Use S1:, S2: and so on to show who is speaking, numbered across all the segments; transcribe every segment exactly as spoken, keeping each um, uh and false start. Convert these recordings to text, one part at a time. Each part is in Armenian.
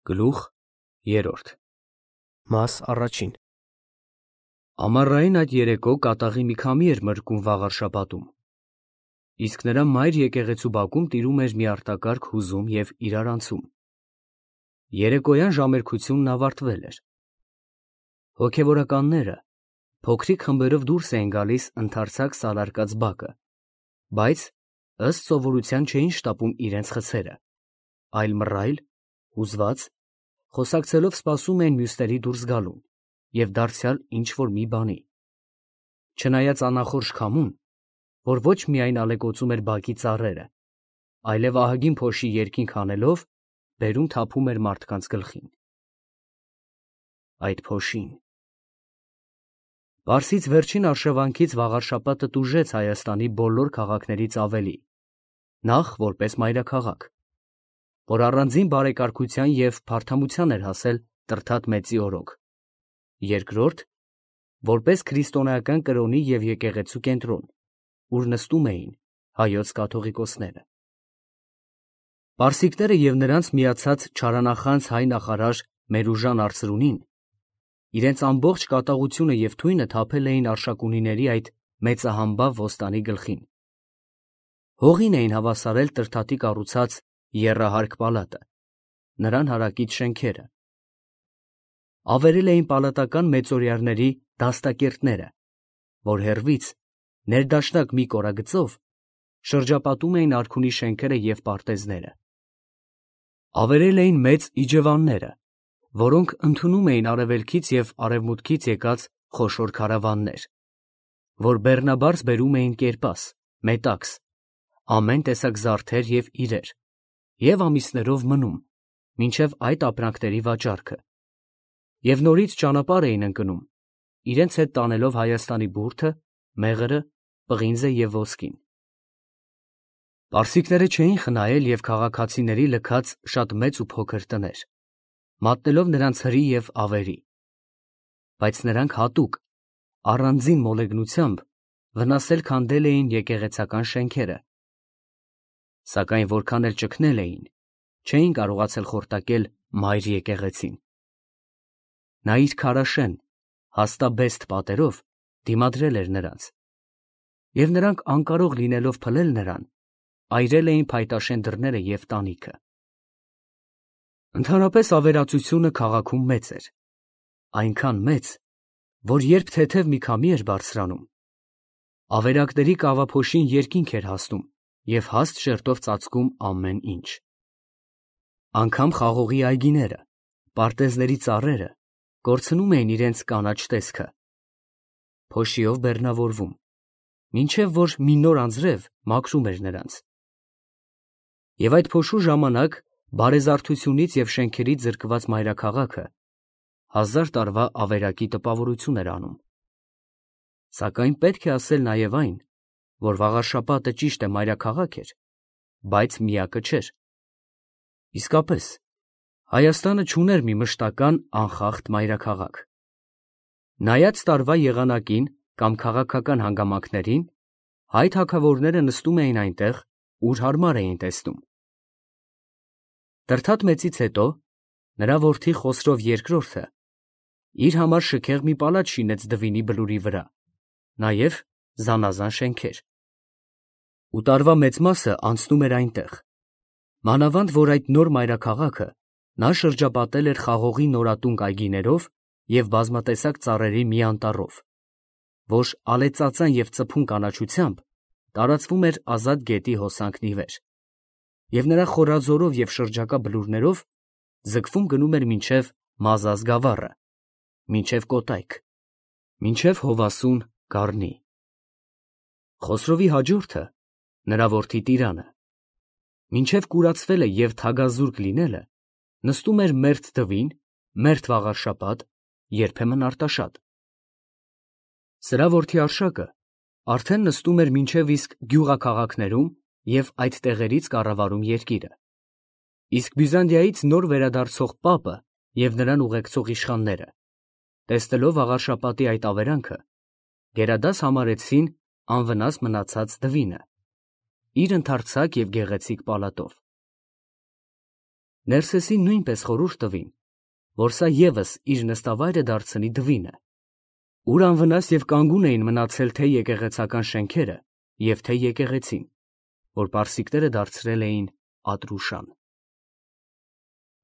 S1: Գլուխ երրորդ
S2: Մաս առաջին
S1: Ամառային այդ երեկո կատաղի մի քամի էր մրկում վաղ շաբաթում, իսկ նրա մայր եկեղեցու բակում տիրում էր մի արտակարգ հուզում և իրարանցում։ Երեկոյան ժամերկությունն ավարտվել էր։ Հոգևորականները փոքրիկ խմբերով դուրս էին գալիս ընդարձակ սալարկած բակը, բայց ըստ սովորության չէին շտապում իրենց խցերը, այլ մռայլ, հուզված, խոսակցելով սպասում էին մյուսների դուրս գալուն և դարձյալ ինչ-որ մի բանի։ Չնայած անախորժ քամուն, որ ոչ միայն ալեկոծում էր բակի ծառերը, այլև ահագին փոշի երկինք հանելով բերում թափում էր մարդկանց գլխին։ Այդ փոշին… Պարսից վերջին արշավանքից վաղարշաբաթը տուժեց Հայաստանի բոլոր քաղաքներից ավելի, նախ որպես մայրաքաղաք, որ առանձին բարեկարգության և փարթամության էր հասել Տրդատ մեծի օրոք, երկրորդ, որպես քրիստոնեական կրոնի և եկեղեցու կենտրոն, ուր նստում էին հայոց կաթողիկոսները։ Պարսիկները և նրանց միացած չարանախանձ հայ նախարար Մերուժան Արծրունին իրենց ամբողջ կատաղությունը և թույնը թափել էին Արշակունիների այդ մեծահամբավ ոստանի գլխին։ Հողին էին հավասարել Տրդատի կառուցած եռահարկ պալատը, նրան հարակից շենքերը։ Ավերել էին պալատական մեծօրյարների դաստակերտները, որ հեռվից, ներդաշնակ մի կորագծով, շրջապատում էին արքունի շենքերը և պարտեզները։ Ավերել էին մեծ իջևանները, որոնք ընդունում էին արևելքից և արևմուտքից եկած խոշոր քարավաններ, որ բեռնաբարս բերում էին կերպաս, մետաքս, ամեն տեսակ զարդեր և իրեր, և ամիսներով մնում, մինչև այդ ապրանքների վաճառքը, և նորից ճանապարհ էին ընկնում, իրենց հետ տանելով Հայաստանի բուրդը, մեղրը, պղինձը և ոսկին։ Պարսիկները չէին խնայել և քաղաքացիների լքած շատ մեծ ու փոքր տներ, մատնելով նրանց հրի և ավերի, բայց նրանք հատուկ, առանձին մոլեգնությամբ վնասել քանդել էին եկեղեցական շենքերը, սակայն որքան էլ ճգնել էին, չէին կարողացել խորտակել մայր եկեղեցին։ Նա իր քարաշեն, հաստաբեստ պատերով դիմադրել էր նրանց, և նրանք անկարող լինելով փլել նրան, այրել էին փայտաշեն դռները և տանիքը։ Ընդհանրապես ավերածությունը քաղաքում մեծ էր, այնքան մեծ, որ երբ թեթև մի քամի էր բարձրանում, ավերակների կավափոշին երկինք էր հասնում և հաստ շերտով ծածկում ամեն ինչ։ Անգամ խաղողի այգիները, պարտեզների ծառերը կորցնում էին իրենց կանաչ տեսքը, փոշիով բեռնավորվում, մինչև որ մի նոր անձրև մաքրում էր նրանց։ Եվ այդ փոշու ժամանակ բարեզարդությունից և շենքերից զրկված մայրաքաղաքը հազար տարվա ավերակի տպավորություն էր անում։ Սակայն պետք է ասել նաև այն, որ վաղարշաբաթը ճիշտ է մայրաքաղաք էր, բայց միակը չէր։ Իսկապես, Հայաստանը չուներ մի մշտական անխախտ մայրաքաղաք։ Նայած տարվա եղանակին կամ քաղաքական հանգամանքներին, հայ թագավորները նստում էին այնտեղ, ուր հարմար էին տեսնում։ Տրդատ մեծից հետո նրա որդի Խոսրով երկրորդը իր համար շքեղ մի պալատ շինեց Դվինի բլուրի վրա, նաև զանազան շենքեր։ Ու տարվա մեծ մասը անցնում էր այնտեղ, մանավանդ որ այդ նոր մայրաքաղաքը նա շրջապատել էր խաղողի նորատունկ այգիներով և բազմատեսակ ծառերի մի անտառով, որ ալեծածան և ծփուն կանաչությամբ տարածվում էր ազատ գետի հոսանքն ի վեր, և նրա խորաձորով և շրջակա բլուրներով ձգվում գնում էր մինչև Մազազ գավառը, մինչև Կոտայք, մինչև Հովասուն Գառնի։ Խոսրովի հաջորդը, նրա որդի Տիրանը, մինչև կուրացվելը և թագազուրկ լինելը, նստում էր մերթ Դվին, մերթ Վաղարշաբաթ, երբեմն Արտաշատ։ Սրա որդի Արշակը արդեն նստում էր մինչև իսկ գյուղաքաղաքներում և այդ տեղերից կառավարում երկիրը, իսկ Բյուզանդիայից նոր վերադարձող պապը և նրան ուղեկցող իշխանները, տեսնելով վաղարշաբաթի այդ ավերանքը, գերադաս համարեցին անվնաս մնացած Դվինը իր ընդարձակ և գեղեցիկ պալատով։ Ներսեսին նույնպես խորհուրդ տվին, որ սա ևս իր նստավայրը դարձնի դվինը, ուր անվնաս և կանգուն էին մնացել թե եկեղեցական շենքերը և թե եկեղեցին, որ պարսիկները դարձրել էին Ատրուշան։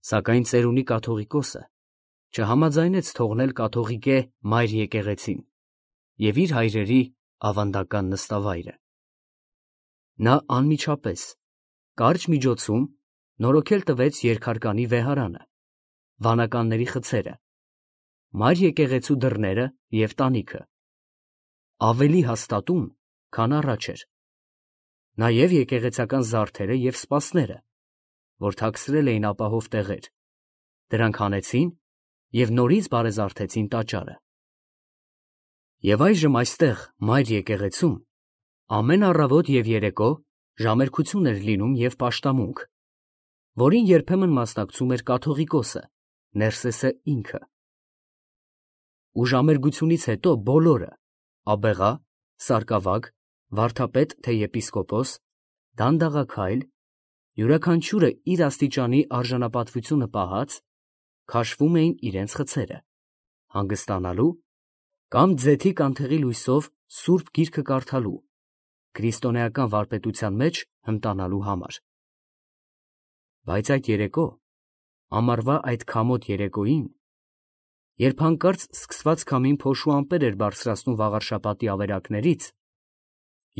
S1: Սակայն ծերունի կաթողիկոսը չհամաձայնեց թողնել կաթողիկե մայր եկեղեցին և իր հայրերի ավանդական նստավայրը։ Նա անմիջապես, կարճ միջոցում նորոգել տվեց երկհարկանի վեհարանը, վանականների խցերը, մայր եկեղեցու դռները և տանիքը, ավելի հաստատուն, քան առաջ էր, նաև եկեղեցական զարդերը և սպասները, որ թաքցրել էին ապահով տեղեր, դրանք հանեցին և նորից բարեզարդեցին տաճարը։ Եվ այժմ այստեղ, մայր եկեղեցում, ամեն առավոտ և երեկո ժամերգություն էր լինում և պաշտամունք, որին երբեմն մասնակցում էր կաթողիկոսը, Ներսեսը ինքը։ Ու ժամերգությունից հետո բոլորը՝ աբեղա, սարկավագ, վարդապետ թե եպիսկոպոս, դանդաղաքայլ, յուրաքանչյուրը իր աստիճանի արժանապատվությունը պահած, քաշվում էին իրենց խցերը, հանգստանալու կամ ձեթի կանթեղի լույսով սուրբ գիրքը կարդալու, քրիստոնեական վարպետության մեջ հմտանալու համար։ Բայց այդ երեկո, ամառվա այդ քամոտ երեկոյին, երբ հանկարծ սկսված քամին փոշու ամպեր էր բարձրացնում վաղարշաբաթի ավերակներից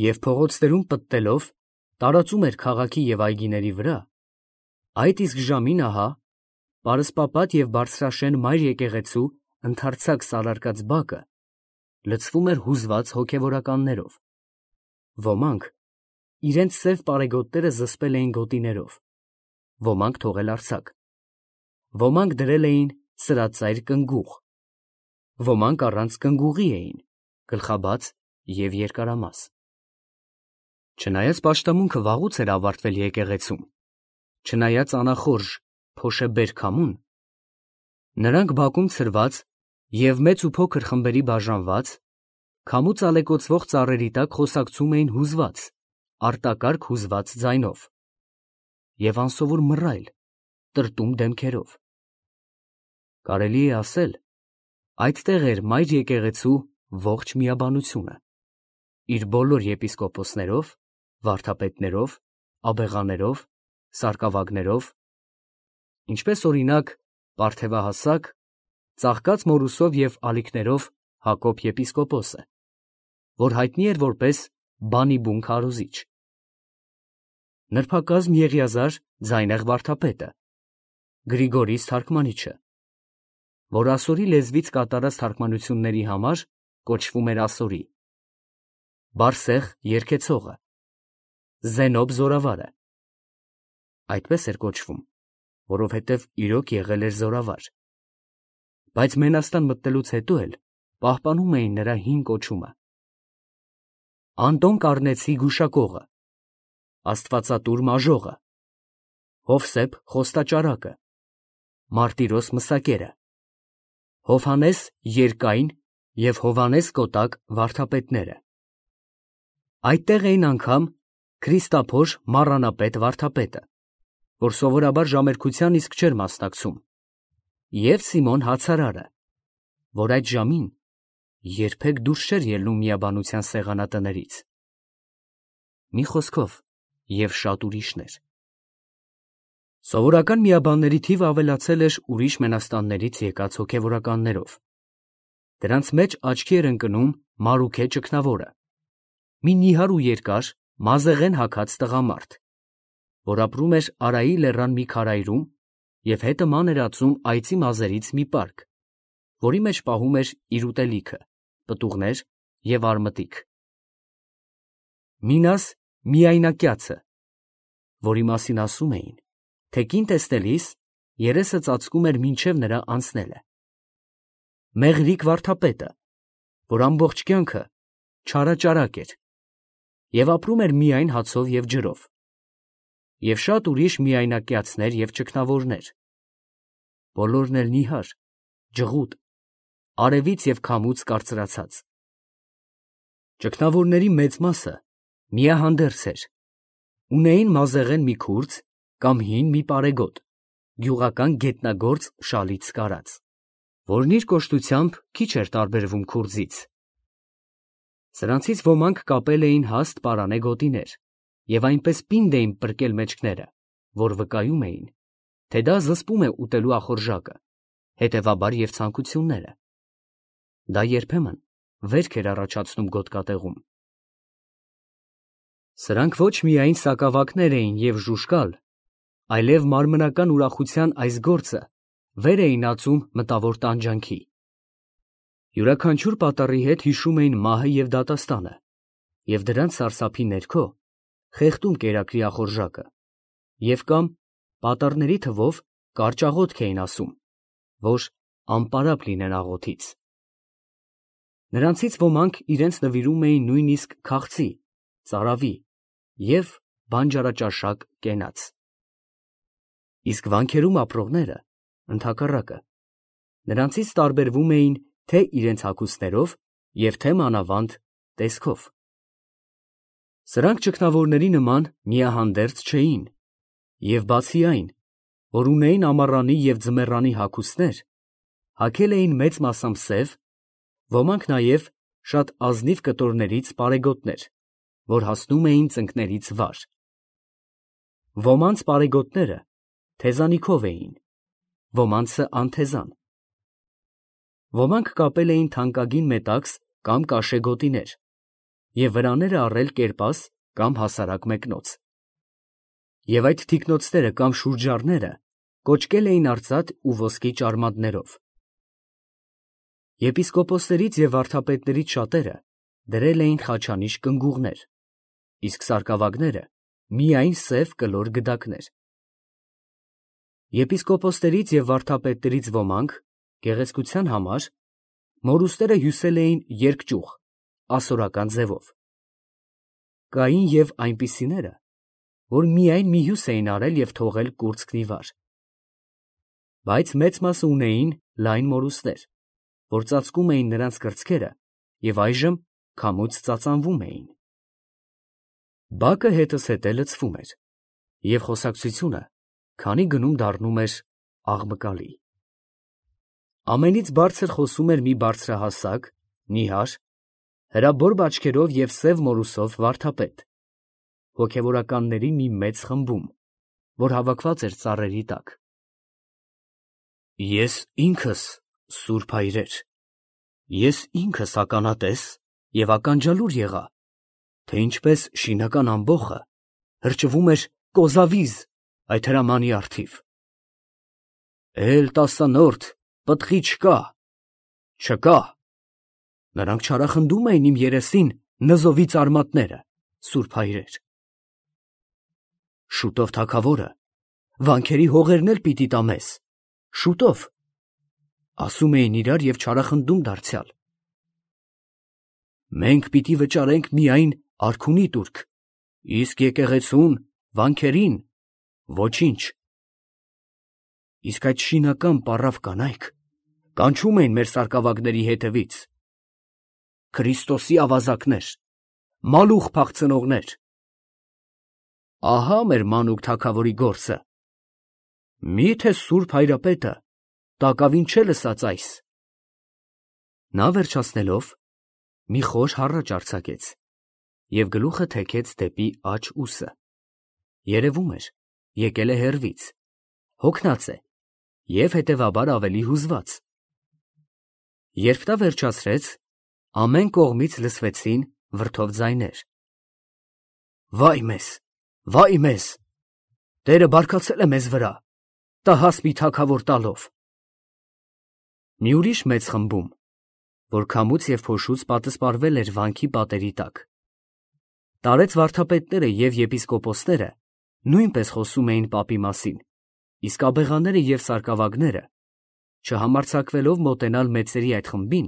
S1: և փողոցներում պտտելով տարածում էր քաղաքի և այգիների վրա, այդ իսկ ժամին ահա, պարսպապատ և բարձրաշեն մայր եկեղեցու ընդարձակ սալարկած բակը լցվում էր հուզված հոգևորականներով, ոմանք իրենց սև պարեգոտները զսպել էին գոտիներով, ոմանք թողել արձակ, ոմանք դրել էին սրածայր կնգուղ, ոմանք առանց կնգուղի էին, գլխաբաց և երկարամաս։ Չնայած պաշտամունքը վաղուց էր ավարտվել եկեղեցում, չնայած անախորժ փոշեբեր քամուն, նրանք բակում ցրված և մեծ ու փոքր խմբերի բաժանված, քամուց ալեկոծվող ծառերի տակ խոսակցում էին հուզված, արտակարգ հուզված ձայնով և անսովոր մռայլ, տրտում դեմքերով։ Կարելի է ասել, այդտեղ էր մայր եկեղեցու ողջ միաբանությունը, իր բոլոր եպիսկոպոսներով, վարդապետներով, աբեղաներով, սարկավագներով, ինչպես օրինակ պարթևահասակ, ծաղկած մորուսով և ալիքներով Հակոբ եպիսկոպոսը, որ հայտնի էր որպես բանիբուն քարոզիչ, նրբակազմ Եղիազար ձայնեղ վարդապետը, Գրիգորիս թարգմանիչը, որ ասորի լեզվից կատարած թարգմանությունների համար կոչվում էր ասորի, Բարսեղ երգեցողը, Զենոբ զորավարը, այդպես էր կոչվում, որովհետև իրոք եղել էր զորավար, բայց մենաստան մտնելուց հետո էլ պահպանում էին նրա հին կոչումը, Անտոն Կարնեցի գուշակողը, Աստվածատուր մաժողը, Հովսեփ խոստաճարակը, Մարտիրոս մսակերը, Հովհաննես երկայն և Հովհաննես կոտակ վարդապետները։ Այդտեղ էին անգամ Քրիստափոր մառանապետ վարդապետը, որ սովորաբար ժամերգության իսկ չէր մասնակցում, և Սիմոն հացարարը, որ այդ ժամին երբեք դուրս չէր ելնում միաբանության սեղանատներից, մի խոսքով և շատ ուրիշներ։ Սովորական միաբանների թիվը ավելացել էր ուրիշ մենաստաններից եկած հոգևորականներով, դրանց մեջ աչքի էր ընկնում Մարուքե ճգնավորը, մի նիհար ու երկար, մազեղեն հագած տղամարդ, որ ապրում էր Արայի լեռան մի քարայրում և հետը ման էր ածում այծի մազերից մի պարկ, որի մեջ պահում էր իր ուտելիքը, պտուղներ և արմտիկ։ Մինաս միայնակյացը, որի մասին ասում էին, թե կին տեսնելիս երեսը ծածկում էր մինչև նրա անցնելը, Մեղրիկ վարդապետը, որ ամբողջ կյանքը չարաճարակ էր և ապրում էր միայն հացով և ջրով, և շատ ուրիշ միայնակյացներ և ճգնավորներ, բոլորն էլ նիհար, ջղուտ, արևից և քամուց կարծրացած։ Ճգնավորների մեծ մասը միահանդերձ էր, ունեին մազեղեն մի քուրձ կամ հին մի պարեգոտ, գյուղական գետնագործ շալից կարած, որն իր կոշտությամբ քիչ էր տարբերվում քուրձից։ Սրանցից ոմանք կապել էին հաստ պարանե գոտիներ և այնպես պինդ էին պրկել մեջքները, որ վկայում էին, թե դա զսպում է ուտելու ախորժակը, հետևաբար և ցանկությունները։ Դա երբեմն վերք էր առաջացնում գոտկատեղում։ Սրանք ոչ միայն սակավակներ էին և ժուժկալ, այլև մարմնական ուրախության այս գործը վեր էին ածում մտավոր տանջանքի։ Յուրաքանչյուր պատառի հետ հիշում էին մահը և դատաստանը, և դրանց սարսափի ներքո խեղդում կերակրի ախորժակը, և կամ պատառների թվով կարճ աղոթք էին ասում, որ անպարապ լինեն աղոթից։ Նրանցից ոմանք իրենց նվիրում էին նույնիսկ քաղցի, ծարավի և բանջարաճաշակ կենաց։ Իսկ վանքերում ապրողները, ընդհակառակը, նրանցից տարբերվում էին թե իրենց հագուստներով և թե մանավանդ տեսքով։ Սրանք ճգնավորների նման միահանդերձ չէին և բացի այն, որ ունեին ամառանի և ձմեռանի հագուստներ, հագել էին մեծ մասամբ սև, ոմանք նաև շատ ազնիվ կտորներից պարեգոտներ, որ հասնում էին ծնկներից վար։ Ոմանց պարեգոտները թեզանիքով էին, ոմանցը անթեզան։ Ոմանք կապել էին թանկագին մետաքս կամ կաշե գոտիներ և վրաները առել կերպաս կամ հասարակ մեկնոց, և այդ թիկնոցները կամ շուրջառները կոճկել էին արծաթ ու ոսկի ճարմատներով։ Եպիսկոպոսներից և վարդապետներից շատերը դրել էին խաչանիշ կնգուղներ, իսկ սարկավագները միայն սև կլոր գդակներ։ Եպիսկոպոսներից և վարդապետներից ոմանք, գեղեցկության համար, մորուստերը հյուսել էին երկճյուղ, ասորական ձևով։ Կային և այնպիսիները, որ միայն մի հյուս էին արել և թողել կուրծքն ի վար։ Բայց մեծ մասը ունեին լայն մորուստներ, որ ծածկում էին նրանց կրծքերը և այժմ քամուց ծածանվում էին։ Բակը հետզհետե լցվում էր, և խոսակցությունը քանի գնում դառնում էր աղմկալի։ Ամենից բարձր խոսում էր մի բարձրահասակ, նիհար, հրաբոր բաճկերով և սև մորուսով վարդապետ, հոգևորականների մի մեծ խմբում, որ հավաքված էր ծառերի տակ։ Ես ինքս, սուրբ հայրեր, ես ինքս ականատես և ականջալուր եղա, թե ինչպես շինական ամբոխը հրճվում էր կոզավիզ այդ հրամանի առթիվ։ Էլ տասանորդ պտղի չկա, չկա, նրանք չարախնդում էին իմ երեսին նզովից արմատները, սուրբ հայրեր։ Շուտով թագավորը վանքերի հողերն էլ պիտի տա մեզ, շուտով, ասում էին իրար և չարախնդում դարձյալ։ Մենք պիտի վճարենք միայն արքունի տուրք, իսկ եկեղեցուն, վանքերին ոչինչ։ Իսկ այդ շինական պառավ կանայք կանչում էին մեր սարկավագների հետևից. Քրիստոսի ավազակներ, մալուխ փախցնողներ։ Ահա մեր մանուկ թագավորի գործը։ Մի՞թե սուրբ հայրապետը տակավին չէ լսած այս։ Նա վերջացնելով, մի խոր հառաչ արձակեց և գլուխը թեքեց դեպի աջ ուսը. երևում էր, եկել է հեռվից, հոգնած է և հետևաբար ավելի հուզված։ Երբ նա վերջացրեց, ամեն կողմից լսվեցին վրդով ձայներ. Վայ մեզ, վայ մեզ, Տերը բարկացել է մեզ վրա, տհաս մի թագավոր տալով։ Մի ուրիշ մեծ խմբում, որ քամուց և փոշուց պատսպարվել էր վանքի պատերի տակ, տարեց վարդապետները և եպիսկոպոսները նույնպես խոսում էին պապի մասին, իսկ աբեղաները և սարկավագները, չհամարձակվելով մոտենալ մեծերի այդ խմբին,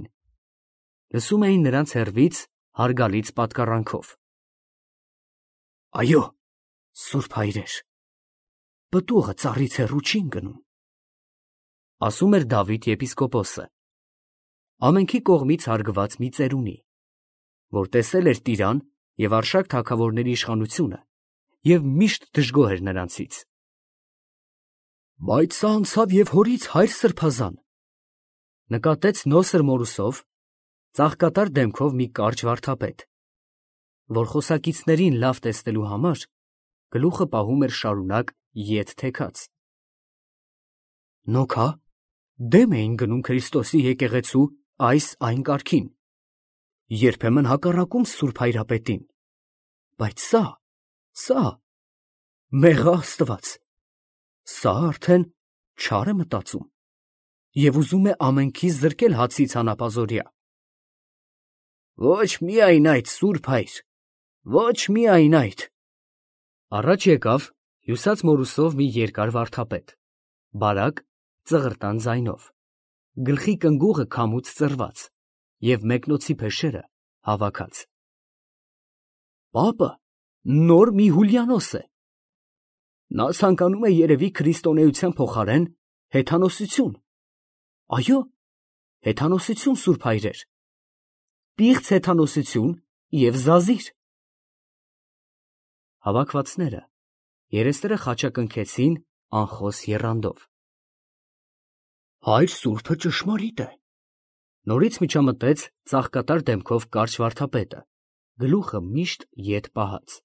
S1: լսում էին նրանց հեռվից հարգալից պատկառանքով. Այո, սուրբ հայրեր, պտուղը ծառից հեռու չի ընկնում, ասում էր Դավիթ եպիսկոպոսը, ամենքի կողմից հարգված մի ծերունի, որ տեսել էր Տիրան և Արշակ թագավորների իշխանությունը և միշտ դժգոհ էր նրանցից։ Բայց սա անցավ և հորից, հայր սրբազան, նկատեց Նոսր Մորուսով, ծաղկատար դեմքով մի կարճ վարդապետ, որ խոսակիցներին լավ տեսնելու համար գլուխը պահում էր շարունակ ետ թեքած։ Նոքա, դեմ էին գնում Քրիստոսի եկեղեցու այս այն կարգին, երբեմն հակառակում Սուրբ Հայրապետին, բայց սա, սա, մեղա Աստված, սա արդեն չար է մտածում և ուզում է ամենքից զրկել հացից հանապազօրյա։ Ոչ միայն այդ, Սուրբ Հայր, ոչ միայն այդ։ Առաջ եկավ հյուսած Մորուսով մի երկար վարդապետ, բարակ, ծղրտան ձայնով, գլխի կնգուղը քամուց ծռված և մեկնոցի փեշերը հավաքած։ Պապը նոր մի Հուլիանոս է։ Նա ցանկանում է երևի քրիստոնեության փոխարեն հեթանոսություն։ Այո, հեթանոսություն, Սուրբ Հայրեր, պիղծ հեթանոսություն և զազիր։ Հավաքվածները երեսները խաչակնքեցին անխոս եռանդով։ Հայր Սուրբը ճշմարիտ է, նորից միջամտեց ծաղկատար դեմքով կարճ վարդապետը, գլուխը միշտ ետ պահած։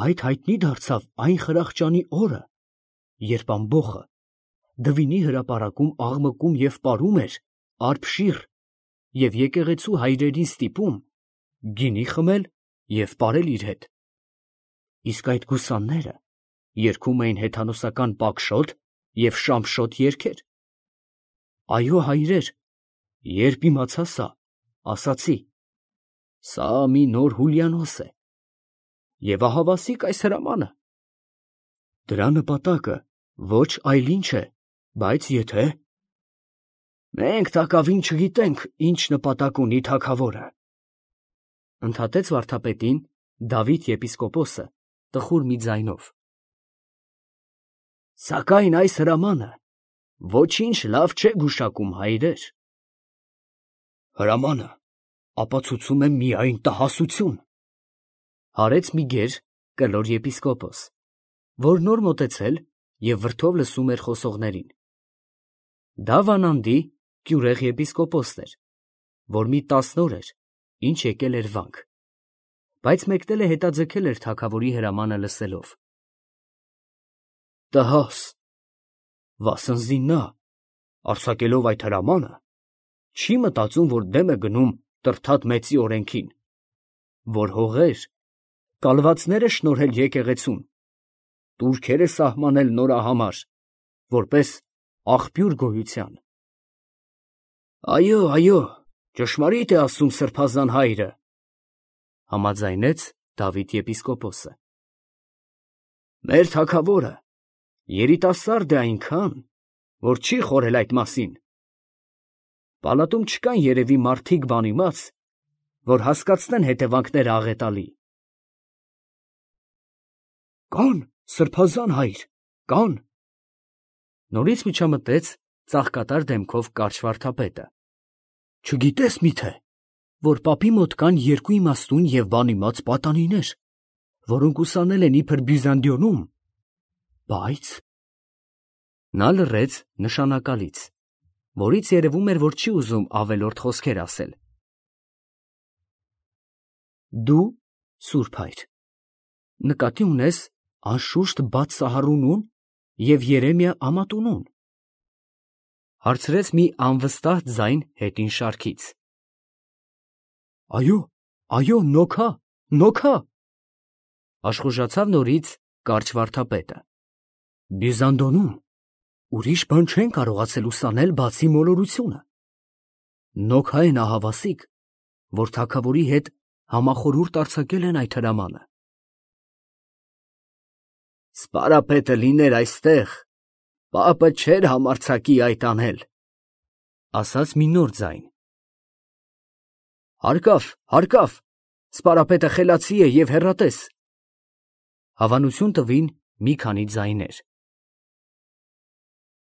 S1: Այդ հայտնի դարձավ այն խրախճանի օրը, երբ ամբոխը դվինի հրապարակում աղմկում և պարում էր արբշիռ և եկեղեցու հայրերին ստիպում գինի խմել և պարել իր հետ, իսկ այդ գուսանները երգում էին հեթանոսական պակշոտ և շամշոտ երգեր։ Այո, հայրեր, երբ իմացա սա, ասացի. սա մի նոր Հուլիանոս է, և ահավասիկ այս հրամանը։ Դրա նպատակը ոչ այլ ինչ է, բայց եթե… Մենք տակավին չգիտենք, ինչ նպատակ ունի թագավորը, ընդհատեց վարդապետին Դավիթ եպիսկոպոսը տխուր մի ձայնով։ Սակայն այս հրամանը ոչինչ լավ չէ գուշակում, հայրեր։ Հրամանը ապացուցում է միայն տհասություն, հարեց մի գեր, կլոր եպիսկոպոս, որ նոր մոտեցել և վրդով լսում էր խոսողներին։ Դա Վանանդի կյուրեղ եպիսկոպոսն էր, որ մի տասն օր էր, ինչ եկել էր վանք, բայց մեկնել է հետաձգել էր թագավորի հրամանը լսելով։ Տհաս, վասնզի նա, արձակելով այդ հրամանը, չի մտածում, որ դեմ է գնում Տրդատ մեծի օրենքին, որ հողեր, կալվածներ է շնորհել եկեղեցուն, տուրքեր է սահմանել նորահամար, որպես աղբյուր գոյության։ Այո, այո, ճշմարիտ է ասում սրբազան հայրը, համաձայնեց Դավիթ եպիսկոպոսը։ Մեր թագավորը երիտասարդ է այնքան, որ չի խորհել այդ մասին։ Պալատում չկան երևի մարդիկ բանիմաց, որ հասկացնեն հետևանքները աղետալի։ Կան, սրբազան հայր, կան, նորից միջամտեց ծաղկատար դեմքով կարճ վարդապետը։ Չգիտես միթե, որ պապի մոտ կան երկու իմաստուն և բանիմաց պատանիներ, որոնք ուսանել են իբր Բյուզանդիոնում, բայց… Նա լռեց նշանակալից, որից երևում էր, որ չի ուզում ավելորդ խոսքեր ասել։ Դու, Սուրբ Հայր, նկատի ունես անշուշտ Բաթ Սահարունուն և Երեմիա Ամատունուն, հարցրեց մի անվստահ ձայն հետին շարքից։ Այո, այո, նոքա, նոքա, աշխուժացավ նորից կարճ վարդապետը։ Բյուզանդոնում ուրիշ բան չեն կարողացել ուսանել, բացի մոլորությունը։ Նոքա են ահավասիկ, որ թագավորի հետ համախորհուրդ արձակել են այդ հրամանը։ Սպարապետը լիներ այստեղ, պապը չէր համարձակի այդ անել, ասաց մի նոր ձայն։ Հարկավ, հարկավ, սպարապետը խելացի է և հեռատես, հավանություն տվին մի քանի ձայներ։